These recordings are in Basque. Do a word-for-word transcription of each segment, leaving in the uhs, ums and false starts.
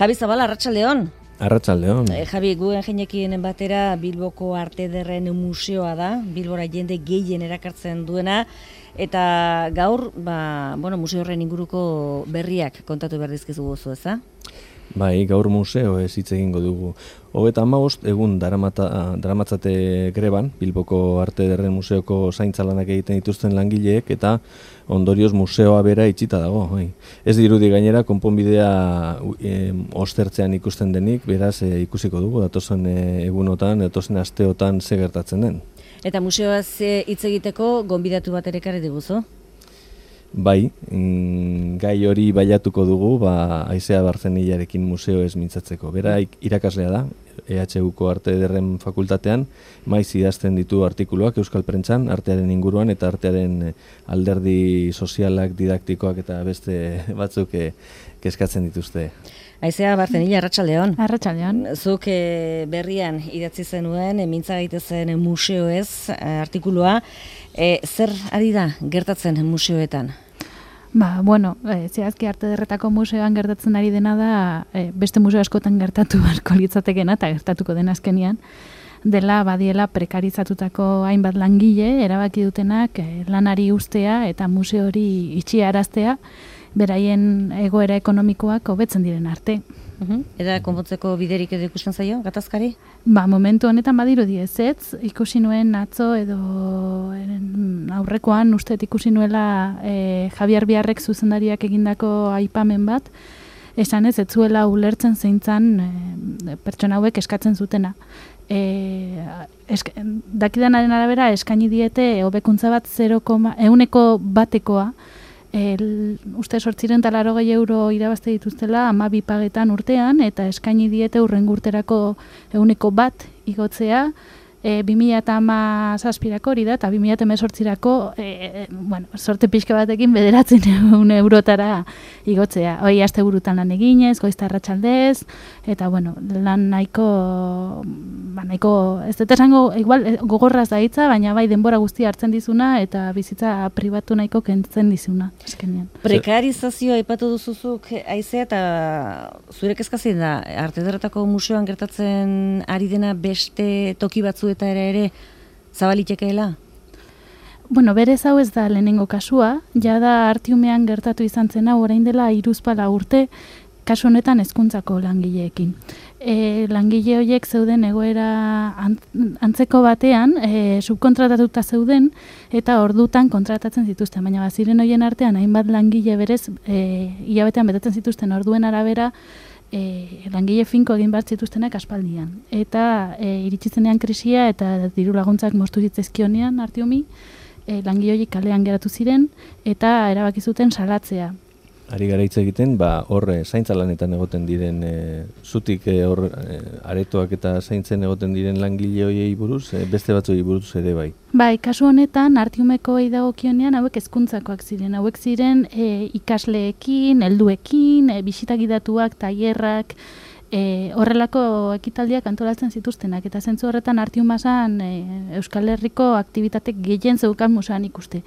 Javi Zabala, arratsaldeon. Arratsaldeon. E, Javi, guen jeinekin batera Bilboko Arte Ederren museoa da, Bilbora jende gehien erakartzen duena, eta gaur, ba, bueno, museo horren inguruko berriak kontatu behar dizkizu gozu, eza? Bai, gaur museo ez hitz egingo dugu. Hogeita hamabost egun daramata, daramatzate greban, Bilboko Arte Ederren museoko zaintza lanak egiten dituzten langileek, eta ondorioz museoa bera itxita dago. Bai. Ez dirudi gainera, konponbidea e, ostertzean ikusten denik, beraz e, ikusiko dugu, datozen e, egunotan, datozen asteotan ze gertatzen den. Eta museoaz hitz egiteko gonbidatu bat ere ekarri diguzu? Bai, mm, gai hori bailatuko dugu, ba, Aizea Barzenillarekin museo ez mintzatzeko. Bera irakaslea da, E H Uko Arte Ederren fakultatean, maiz idazten ditu artikuluak Euskal Prentsan, artearen inguruan eta artearen alderdi sozialak, didaktikoak eta beste batzuk e, kezkatzen dituzte. Aizea Barzenilla, arratsaldeon. Arratsaldeon. Zuk e, berrian idatzi zenuen, e, mintza gaitezen museoez artikulua. E, zer ari da gertatzen museoetan? Ba, bueno, e, zehazki Arte Ederretako museoan gertatzen ari dena da, e, beste museo askotan gertatu beharko litzatekeena eta gertatuko den azkenian, dela badiela prekarizatutako hainbat langile, erabaki dutenak e, lanari ustea eta museo hori itxiaraztea, beraien egoera ekonomikoak hobetzen diren arte. Uhum. Eta konpontzeko biderik edo ikusten zaio, gatazkari? Ba, momentu honetan badirudi ezetz, ikusi nuen atzo edo eren, aurrekoan usteet ikusi nuela e, Javier Biarrek zuzendariak egindako aipamen bat, esan ez, ez zuela ulertzen zeintzan e, pertsona hauek eskatzen zutena. E, esk, dakidanaren arabera eskaini diete hobekuntza bat zero, ehuneko batekoa, El, uste sortziren talaro gehi euro irabazte dituztela amabi pagetan urtean eta eskaini diete hurrengo urterako ehuneko bat igotzea e, bi mila hamazazpirako hori da eta bi mila hemezortzirako e, bueno, sorte pixka batekin bederatzen ehun eurotara igotzea. Hoi aste burutan lan eginez, goizta arratsaldez eta bueno, lan nahiko ba, nahiko, ez dut esango igual gogorraz da hitza, baina bai denbora guztia hartzen dizuna eta bizitza pribatu nahiko kentzen dizuna eskenean. Prekarizazioa aipatu duzuzuk, Aizea, eta zure kezkatzen da Arte Ederretako museoan gertatzen ari dena beste toki batzuetara ere zabalitekeela? Bueno, berez hau ez da lehenengo kasua, jada Artiumean gertatu izan zena orain dela hiruzpalau urte, kasu honetan hezkuntzako langileekin. E, langile horiek zeuden egoera antzeko batean, e, subkontratatuta zeuden eta ordutan kontratatzen zituzten, baina baziren horien artean hainbat langile berez e, hilabetean betetzen zituzten orduen arabera e, langile finko egin behar zituztenak aspaldian. Eta e, iritsi zenean krisia eta diru laguntzak moztu zitzaizkionean Artiumi, e, langile horiek kalean geratu ziren eta erabaki zuten salatzea. Ari gara hitz egiten, ba, hor zaintza lanetan egoten diren, e, zutik e, hor e, aretoak eta zaintzen egoten diren langile horiei buruz, e, beste batzuei buruz ere bai. Bai, kasu honetan, Artiumekoei dagokionean hauek hezkuntzakoak ziren. Hauek ziren e, ikasleekin, helduekin, e, bisitagidatuak, tailerrak, e, horrelako ekitaldiak antolatzen zituztenak. Eta zentzu horretan Artiumazan e, Euskal Herriko aktibitate gehien zeukan museoan ikuste.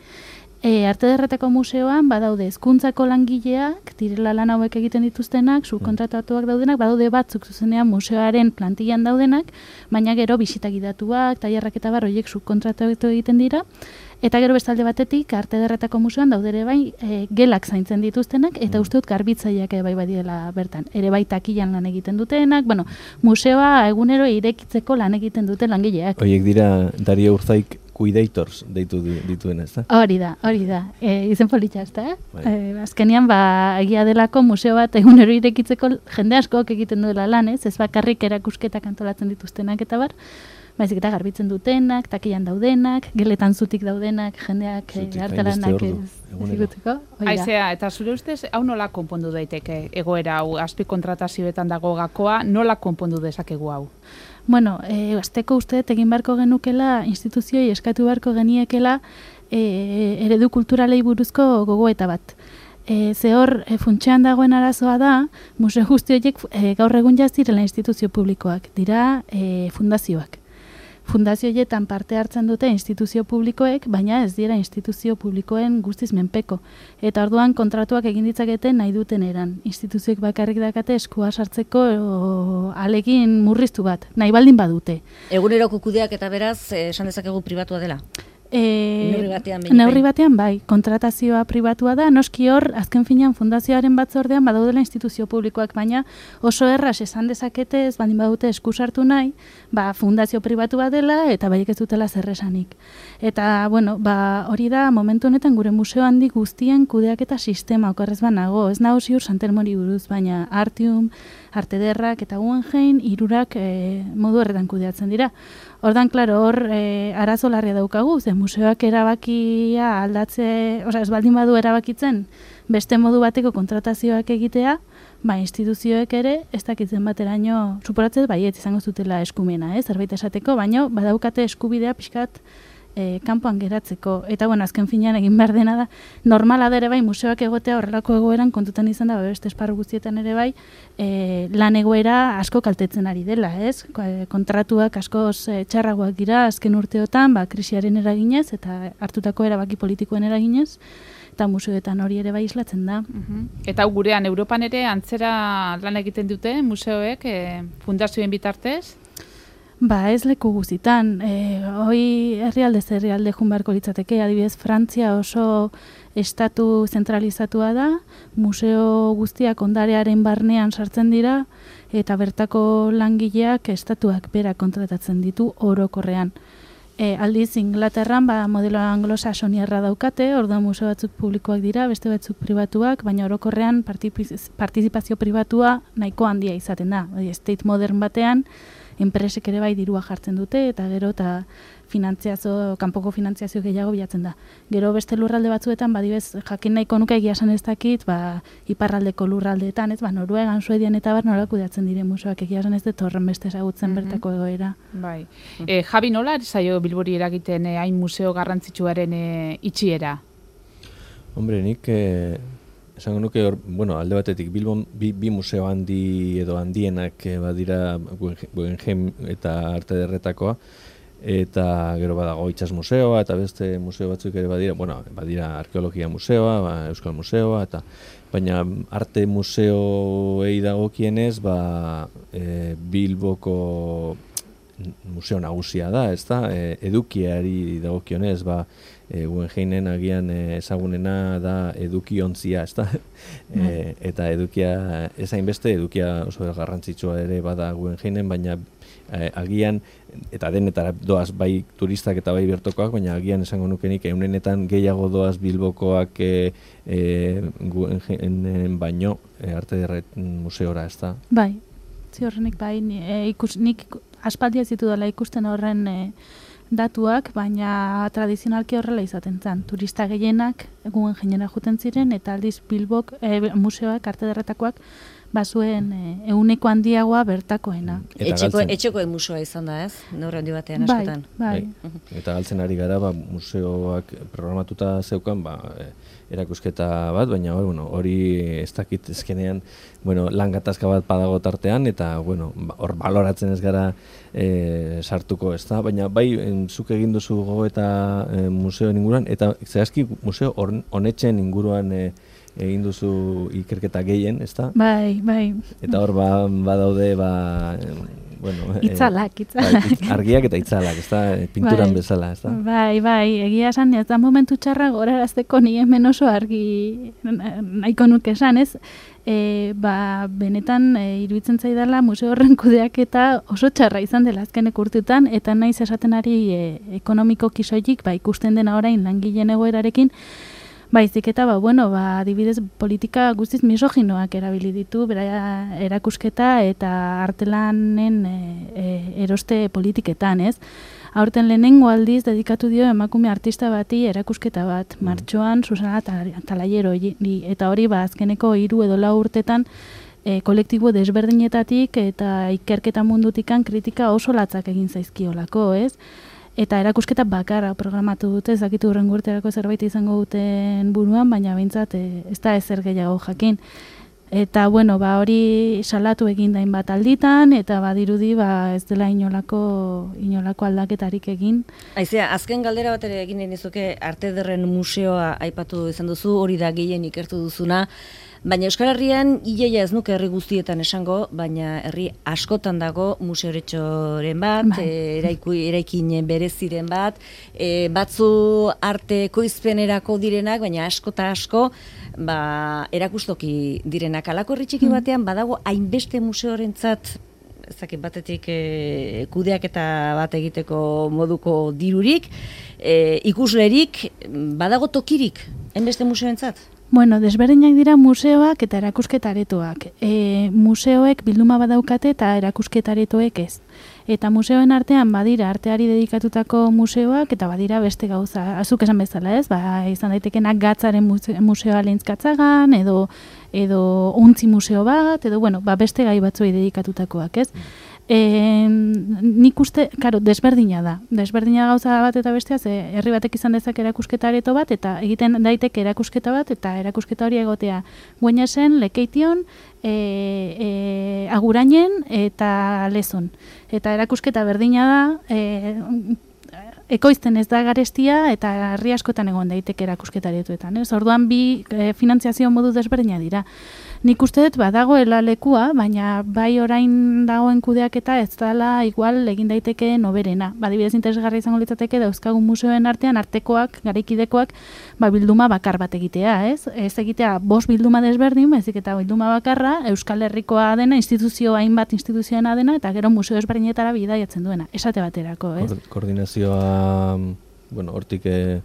E, Arte Ederretako museoan badaude hezkuntzako langileak, direla lan hauek egiten dituztenak, subkontratatuak daudenak, badaude batzuk zuzenean museoaren plantillan daudenak, baina gero bisitagidatuak, tailerrak eta bar horiek subkontratatu egiten dira, eta gero bestalde batetik Arte Ederretako museoan daudere bai e, gelak zaintzen dituztenak, eta uste dut garbitzaileak ere bai badiela bertan. Ere bai takilan lan egiten dutenak, bueno, museoa egunero irekitzeko lan egiten duten langileak. Horiek dira Dario Urzaik Cuidators deitu dituena, ez da? Hori da, hori da. E, izen politxa, ez da? Bai. E, azkenean, ba, egia delako museo bat egunero irekitzeko jende askoak egiten duela lan, ez? Ez bakarrik erakusketak antolatzen dituztenak eta bar, baizik eta garbitzen dutenak, takilan daudenak, geletan zutik daudenak, jendeak hartalanak ziguteko. Aizea, eta zure ustez, hau nola konpondu daiteke egoera hau, azpi kontratazioetan dago gakoa, nola konpondu dezakegu hau? Bueno, e, azteko uste egin beharko genukela, instituzioi eskatu beharko geniekela e, eredu kulturalei buruzko gogoeta bat. E, ze hor, e, funtsean dagoen arazoa da, museo guzti horiek e, gaur egun jazdirela instituzio publikoak, dira e, fundazioak. fundazio horietan parte hartzen dute instituzio publikoek, baina ez dira instituzio publikoen guztiz menpeko. Eta orduan kontratuak egin ditzakete nahi duten eran. Instituzioek bakarrik dakate eskua sartzeko o, alegin murriztu bat, nahi baldin badute. Eguneroko kudeak eta beraz, eh, esan dezakegu pribatua dela. E, neurri batean, neurri batean bai, kontratazioa pribatua da, noski hor, azken finean fundazioaren batzordean badaudela instituzio publikoak, baina oso erraz esan dezakete ez baldin badute eskusartu nahi, ba, fundazio pribatua dela eta baiek ez dutela zer esanik. Eta, bueno, ba, hori da momentu honetan gure museo handi guztien kudeaketa sistema okorrez banago, ez nago ziur Santelmori buruz, baina Artium, Arte Ederrak eta Guggenheim hirurak e, modu horretan kudeatzen dira. Ordan, klaro, hor e, arazo larria daukagu, ze museoak erabakia aldatze, osea, ez baldin badu erabakitzen, beste modu bateko kontratazioak egitea, ba, instituzioek ere, ez dakitzen bateraino, suporatzez, baiet izango zutela eskumena, eh, zerbait esateko, baina badaukate eskubidea pixkat E, kanpoan geratzeko. Eta, bueno, azken finean egin behar dena da, normala da ere bai, museoak egotea horrelako egoeran kontutan izan da, beste esparru guztietan ere bai, e, lan egoera asko kaltetzen ari dela, ez? Kontratuak askoz e, txarragoak dira azken urteotan, ba, krisiaren eraginez, eta hartutako erabaki politikoen eraginez, eta museoetan hori ere bai islatzen da. Uh-huh. Eta gurean, Europan ere antzera lan egiten dute museoek, e, fundazioen bitartez? Ba, ez leku guztitan. E, hoi herrialdez herrialde jun beharko litzateke, adibidez, Frantzia oso estatu zentralizatua da, museo guztiak ondarearen barnean sartzen dira, eta bertako langileak estatuak berak kontratatzen ditu orokorrean. E, aldiz, Inglaterran, ba, modelo anglosaxoniarra daukate, orduan museo batzuk publikoak dira, beste batzuk pribatuak, baina orokorrean partizipazio pribatua nahiko handia izaten da. State modern batean, enpresek ere bai dirua jartzen dute, eta gero eta finantziazio, kanpoko finantziazio gehiago bilatzen da. Gero beste lurralde batzuetan, badibez, jakin nahiko nuke egia esan ez dakit, ba, iparraldeko lurraldeetan, ez, ba, Noruegan, Suedian eta bar nola kudeatzen dire museoak, egia esan ez dut horren beste ezagutzen mm-hmm. bertako egoera. Bai. E, Javi, nola zaio Bilbori eragiten eh, hain museo garrantzitsuaren eh, itxiera? Hombre, nik... Eh... Esango nuke hor, bueno, alde batetik Bilbon bi, bi museo handi edo handienak e, badira Guggenheim eta Arte Ederretakoa, eta gero badago Itsas museoa eta beste museo batzuk ere badira, bueno, badira Arkeologia museoa, ba, Euskal museoa, eta baina arte museoei dagokienez, ba, e, Bilboko museo nagusia da, ezta? E, edukiari dagokionez, ba, e, Guggenheimenen agian e, ezagunena da edukiontzia, ezta? E, eta edukia, ez hainbeste, edukia oso garrantzitsua ere bada Guggenheimenen, baina e, agian, eta denetara doaz bai turistak eta bai bertokoak, baina agian esango nukenik eunenetan gehiago doaz Bilbokoak e, e, Guggenheimenen baino e, Arte Ederret museora, ezta? Bai, ziorrenik bai, e, ikus, nik aspaldia zitu dela ikusten horren e, datuak, baina tradizionalki horrela izaten zen. Turista gehienak Guggenheimera joeten ziren, eta aldiz Bilbok, e, museoak, Arte Ederretakoak, bazuen e, euneko handiagoa bertakoena. Etxeko, etxeko museoa izan da, ez? Neurri handi batean askotan. Bai, bai. Eta galtzen ari gara, ba, museoak programatuta zeukan, ba, erakusketa bat, baina bueno, hori ez dakit ezkenean, bueno, lan gatazka bat badago tartean, eta bueno, hor baloratzen ez gara e, sartuko, ez da? Baina bai, zuk egin duzu gogo eta e, museoen inguruan, eta zehazki museo honetzen inguruan e, egin duzu ikerketa gehien, ezta? Bai, bai. Eta hor ba, badaude, ba, bueno... Itzalak, itzalak. Bai, argiak eta itzalak, ezta? Pinturan bai. Bezala, ezta? Bai, bai, egia esan, ez da momentu txarra gorarazteko ni hemen oso argi nahiko nuke esan, ez? E, ba, benetan e, iruditzen zaidala museo horren kudeaketa oso txarra izan dela azkenek urteetan, eta naiz esaten ari e, ekonomiko kisoilik, ba, ikusten dena orain langileen egoerarekin, baizik eta, ba, bueno, ba, adibidez politika guztiz misoginoak erabili ditu, bera erakusketa eta artelanen e, e, eroste politiketan, ez? Aurten lehenengo aldiz dedikatu dio emakume artista bati erakusketa bat, mm. martxoan Susana Talayero, eta hori ba, azkeneko hiru edo lau urtetan e, kolektibo desberdinetatik eta ikerketa mundutikan kritika oso latzak egin zaizkiolako, ez? Eta erakusketa bakarra programatu dute, ez dakitu hurrengo urterako zerbait izango duten buruan, baina behintzat e, ez da ezer gehiago jakin. Eta, bueno, ba, hori salatu egin dain bat alditan, eta badirudi ba, ez dela inolako, inolako aldaketarik egin. Aizea, azken galdera bat ere egin nizuke Arte Ederren Museoa aipatu izan duzu, hori da gehien ikertu duzuna, baina Euskal Herrian hileia ez nuke herri guztietan esango, baina herri askotan dago museoretxoren bat, Bai. e, eraiku, eraikin bereziren bat, e, batzu arte koizpenerako direnak, baina asko eta asko ba, erakustoki direnak. Halako herri txiki batean badago hainbeste museorentzat ezakit batetik e, kudeaketa bat egiteko moduko dirurik, e, ikuslerik, badago tokirik, hainbeste museoentzat? Bueno, desberdinak dira museoak eta erakusketaretoak. E, museoek bilduma badaukate eta erakusketaretoek ez. Eta museoen artean badira arteari dedikatutako museoak eta badira beste gauza. Azuk esan bezala ez, ba, izan daitekenak gatzaren museoa Lehentzkatzagan, edo edo ontzi museo bat, edo bueno, ba, beste gai batzuei dedikatutakoak ez. E, nik uste, karo, desberdina da. Desberdina gauza bat eta bestea, ze herri batek izan dezak erakusketa areto bat, eta egiten daiteke erakusketa bat, eta erakusketa hori egotea Gueñesen, Lekeition, e, e, Agurainen eta Lezon. Eta erakusketa berdina da, e, ekoizten ez da garestia eta herri askotan egon daiteke erakusketaretuetan. Ez? Orduan bi e, finantziazio modu desberdina dira. Nik uste dut badagoela lekua, baina bai orain dagoen kudeaketa ez dela igual egin daiteke noberena. Badibidez interesgarri izango litzateke dauzkagun museoen artean artekoak, garaikidekoak, ba, bilduma bakar bat egitea, ez? Ez egitea bost bilduma desberdin, baizik eta bilduma bakarra Euskal Herrikoa dena, instituzio hainbat instituzioena dena, eta gero museo ezberdinetara bidaiatzen duena, esate baterako, ez? Koordinazioa, bueno, hortik eh,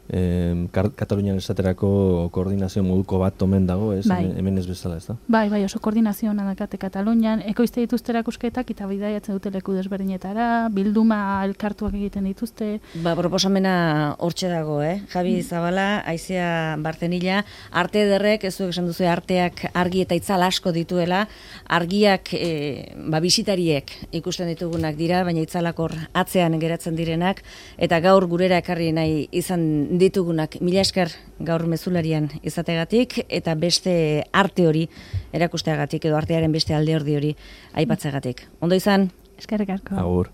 eh, Katalunian esaterako koordinazio moduko bat omen dago, ez? Bai. Hemen ez bezala, ez da? Bai, bai, oso koordinazio ona dakate Katalunian, ekoizte dituzte erakusketak eta bidaiatzen dute leku desberdinetara, bilduma elkartuak egiten dituzte. Ba, proposamena hortxe dago, eh? Javi Zabala, Aizea Bartenilla, Arte Ederrek, ez zuek esan duzu arteak argi eta itzal asko dituela, argiak e, ba, bisitariek ikusten ditugunak dira, baina itzalak hor atzean geratzen direnak, eta gaur gurera ekarri nahi izan ditugunak. Mila esker gaur mezularian izategatik, eta beste arte hori erakusteagatik, edo artearen beste alde hori hori aipatzegatik. Ondo izan? Eskerrik asko. Agur.